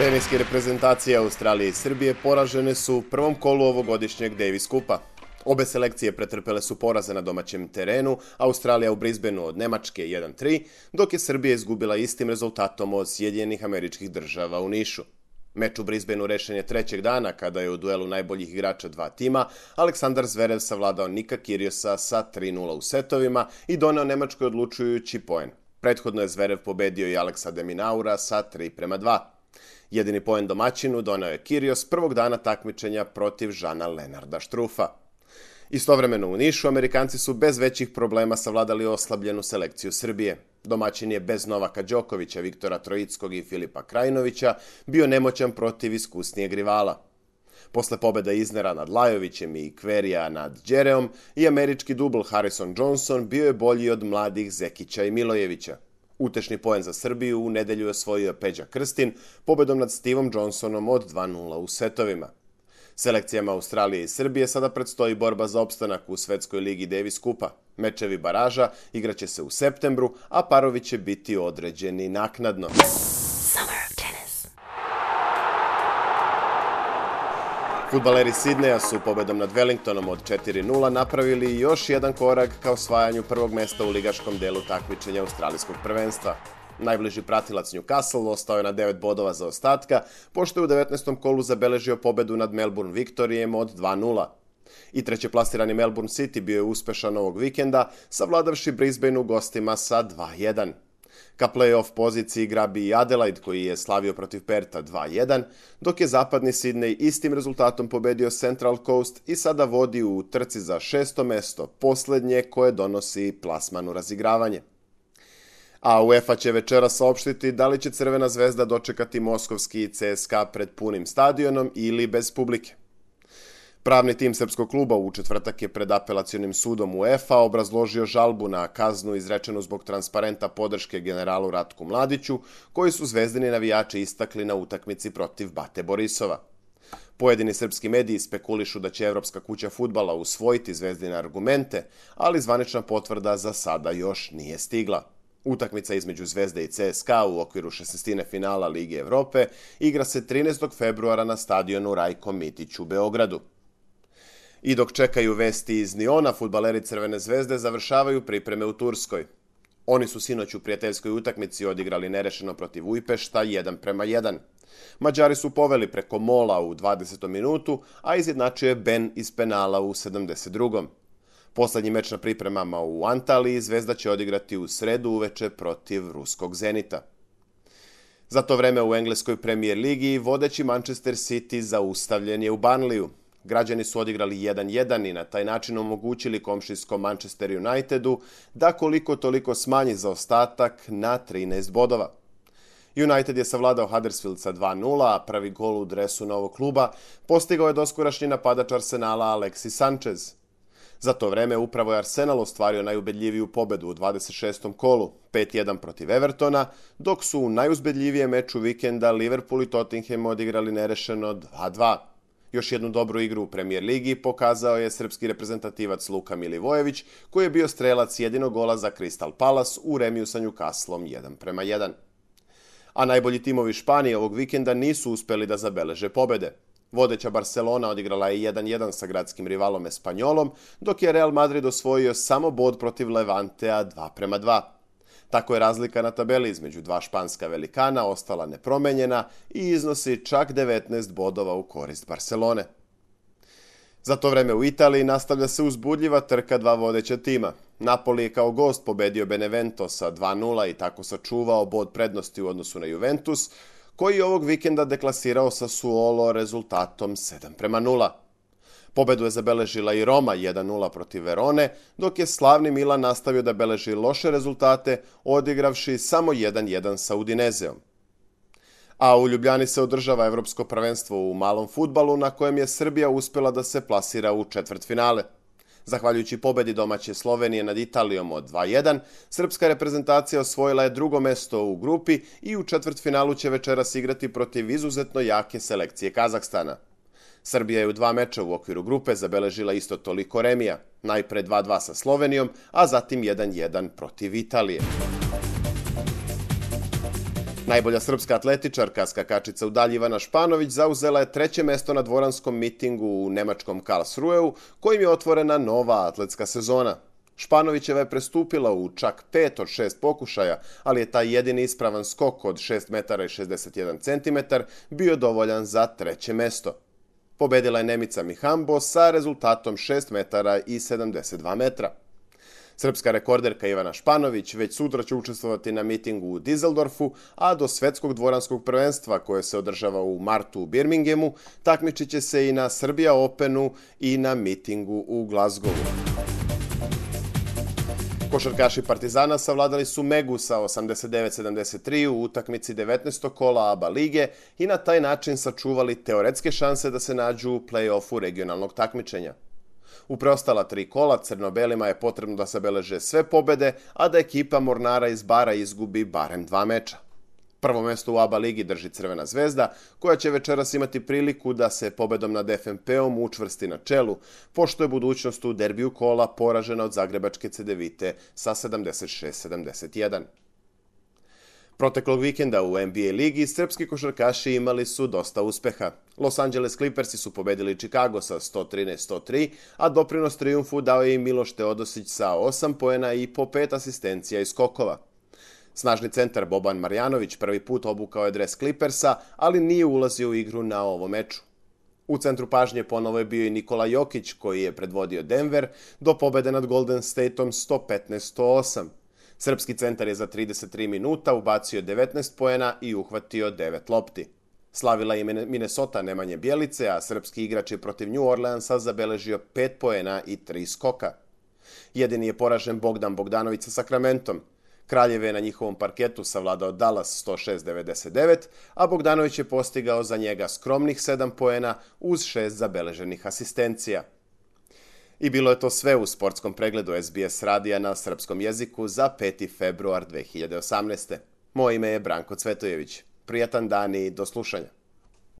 Teniske reprezentacije Australije i Srbije poražene su u prvom kolu ovogodišnjeg Davis Kupa. Obe selekcije pretrpele su poraze na domaćem terenu, Australija u Brisbaneu od Nemačke 1-3, dok je Srbija izgubila istim rezultatom od Sjedinjenih Američkih Država u Nišu. Meč u Brisbaneu rešen je trećeg dana kada je u duelu najboljih igrača dva tima Aleksandar Zverev savladao Nika Kyrgiose sa 3:0 u setovima i doneo Nemačkoj odlučujući poen. Prethodno je Zverev pobedio i Aleksa de Minaura sa 3:2. Jedini poen domaćinu doneo je Kyrgios prvog dana takmičenja protiv Žana Lenarda Štrufa. Istovremeno u Nišu Amerikanci su bez većih problema savladali oslabljenu selekciju Srbije. Domaćin je bez Novaka Đokovića, Viktora Troickog i Filipa Krajinovića bio nemoćan protiv iskusnijeg rivala. Posle pobeda Isnera nad Lajovićem i Kverija nad Đereom i američki dubl Harrison-Johnson bio je bolji od mladih Zekića i Milojevića. Utešni poen za Srbiju u nedelju je osvojio Peđa Krstin pobedom nad Stevom Johnsonom od 2:0 u setovima. Selekcijama Australije i Srbije sada predstoji borba za opstanak u Svetskoj ligi Davis Kupa. Mečevi baraža igraće se u septembru, a parovi će biti određeni naknadno. Fudbaleri Sidneja su pobedom nad Wellingtonom od 4:0 napravili još jedan korak ka osvajanju prvog mesta u ligaškom delu takmičenja australijskog prvenstva. Najbliži pratilac Newcastle ostao je na 9 bodova zaostatka, pošto je u 19. kolu zabeležio pobedu nad Melbourne Victorijem od 2:0. I trećeplasirani Melbourne City bio je uspešan ovog vikenda, savladavši Brisbane u gostima sa 2:1. Ka play-off poziciji grabi i Adelaide koji je slavio protiv Perta 2:1, dok je zapadni Sydney istim rezultatom pobedio Central Coast i sada vodi u trci za 6. mesto, poslednje koje donosi plasman u razigravanje. A UEFA će večeras saopštiti da li će Crvena zvezda dočekati moskovski CSKA pred punim stadionom ili bez publike. Pravni tim srpskog kluba u četvrtak je pred apelacionim sudom UEFA obrazložio žalbu na kaznu izrečenu zbog transparenta podrške generalu Ratku Mladiću, koji su zvezdini navijači istakli na utakmici protiv Bate Borisova. Pojedini srpski mediji spekulišu da će Evropska kuća fudbala usvojiti zvezdine argumente, ali zvanična potvrda za sada još nije stigla. Utakmica između Zvezde i CSKA u okviru 16. finala Lige Evrope igra se 13. februara na stadionu Rajko Mitić u Beogradu. I dok čekaju vesti iz Niona, fudbaleri Crvene zvezde završavaju pripreme u Turskoj. Oni su sinoć u prijateljskoj utakmici odigrali nerešeno protiv Ujpešta 1:1. Mađari su poveli preko mola u 20. minutu, a izjednačio je Ben iz penala u 72. Poslednji meč na pripremama u Antaliji Zvezda će odigrati u sredu uveče protiv ruskog Zenita. Za to vreme u engleskoj Premier ligi vodeći Manchester City zaustavljen je u Burnleyu. Građani su odigrali 1:1 i na taj način omogućili komšijskom Manchester Unitedu da koliko toliko smanji zaostatak na 13 bodova. United je savladao Huddersfield sa 2:0, a prvi gol u dresu novog kluba postigao je doskorašnji napadač Arsenala Alexis Sanchez. Za to vreme upravo je Arsenal ostvario najubedljiviju pobedu u 26. kolu, 5:1 protiv Evertona, dok su u najuzbedljivijem meču vikenda Liverpool i Tottenham odigrali nerešeno 2:2. Još jednu dobru igru u Premier ligi pokazao je srpski reprezentativac Luka Milivojević, koji je bio strelac jedinog gola za Crystal Palace u remiju sa Newcastlom 1:1. A najbolji timovi Španije ovog vikenda nisu uspeli da zabeleže pobede. Vodeća Barcelona odigrala je 1:1 sa gradskim rivalom Espanjolom, dok je Real Madrid osvojio samo bod protiv Levantea 2:2. Tako je razlika na tabeli između dva španska velikana ostala nepromenjena i iznosi čak 19 bodova u korist Barcelone. Za to vreme u Italiji nastavlja se uzbudljiva trka dva vodeća tima. Napoli je kao gost pobedio Benevento sa 2:0 i tako sačuvao bod prednosti u odnosu na Juventus, koji je ovog vikenda deklasirao Sassuolo rezultatom 7:0. Pobedu je zabeležila i Roma 1:0 protiv Verone, dok je slavni Milan nastavio da beleži loše rezultate, odigravši samo 1:1 sa Udinezeom. A u Ljubljani se održava Evropsko prvenstvo u malom fudbalu, na kojem je Srbija uspela da se plasira u četvrtfinale. Zahvaljujući pobedi domaće Slovenije nad Italijom od 2:1, srpska reprezentacija osvojila je drugo mesto u grupi i u četvrtfinalu će večeras igrati protiv izuzetno jake selekcije Kazahstana. Srbija je u 2 meča u okviru grupe zabeležila isto toliko remija, najpre 2:2 sa Slovenijom, a zatim 1:1 protiv Italije. Najbolja srpska atletičarka, skakačica u dalji Ivana Španović, zauzela je 3. mesto na dvoranskom mitingu u nemačkom Karlsruheu, kojim je otvorena nova atletska sezona. Španovićeva je prestupila u čak 5 od 6 pokušaja, ali je taj jedini ispravan skok od 6 metara i 61 centimetar bio dovoljan za 3. mesto. Pobedila je Nemica Mihambo sa rezultatom 6 metara i 72 metra. Srpska rekorderka Ivana Španović već sutra će učestvovati na mitingu u Dizeldorfu, a do svetskog dvoranskog prvenstva koje se održava u martu u Birminghamu takmičit će se i na Serbia Openu i na mitingu u Glasgowu. Košarkaši Partizana savladali su Megu sa 89-73 u utakmici 19. kola ABA lige i na taj način sačuvali teoretske šanse da se nađu u play-offu regionalnog takmičenja. U preostala 3 kola crno-belima je potrebno da zabeleže sve pobede, a da ekipa Mornara iz Bara izgubi barem 2 meča. Prvo mesto u ABA ligi drži Crvena zvezda, koja će večeras imati priliku da se pobedom nad FNP-om učvrsti na čelu, pošto je budućnost u derbiju kola poražena od zagrebačke Cedevite sa 76-71. Proteklog vikenda u NBA ligi srpski košarkaši imali su dosta uspeha. Los Angeles Clippersi su pobedili Chicago sa 113-103, a doprinos trijumfu dao je i Miloš Teodosić sa 8 poena i po 5 asistencija i skokova. Snažni centar Boban Marjanović prvi put obukao je dres Clippersa, ali nije ulazio u igru na ovom meču. U centru pažnje ponovo je bio i Nikola Jokić, koji je predvodio Denver do pobede nad Golden Stateom 115-108. Srpski centar je za 33 minuta ubacio 19 poena i uhvatio 9 lopti. Slavila je Minnesota Nemanje Bjelice, a srpski igrač je protiv New Orleansa zabeležio 5 poena i 3 skoka. Jedini je poražen Bogdan Bogdanović sa Sakramentom. Kraljev je na njihovom parketu savladao Dallas 106-99, a Bogdanović je postigao za njega skromnih 7 poena uz 6 zabeleženih asistencija. I bilo je to sve u sportskom pregledu SBS radija na srpskom jeziku za 5. februar 2018. Moje ime je Branko Cvetojević. Prijatan dan i do slušanja.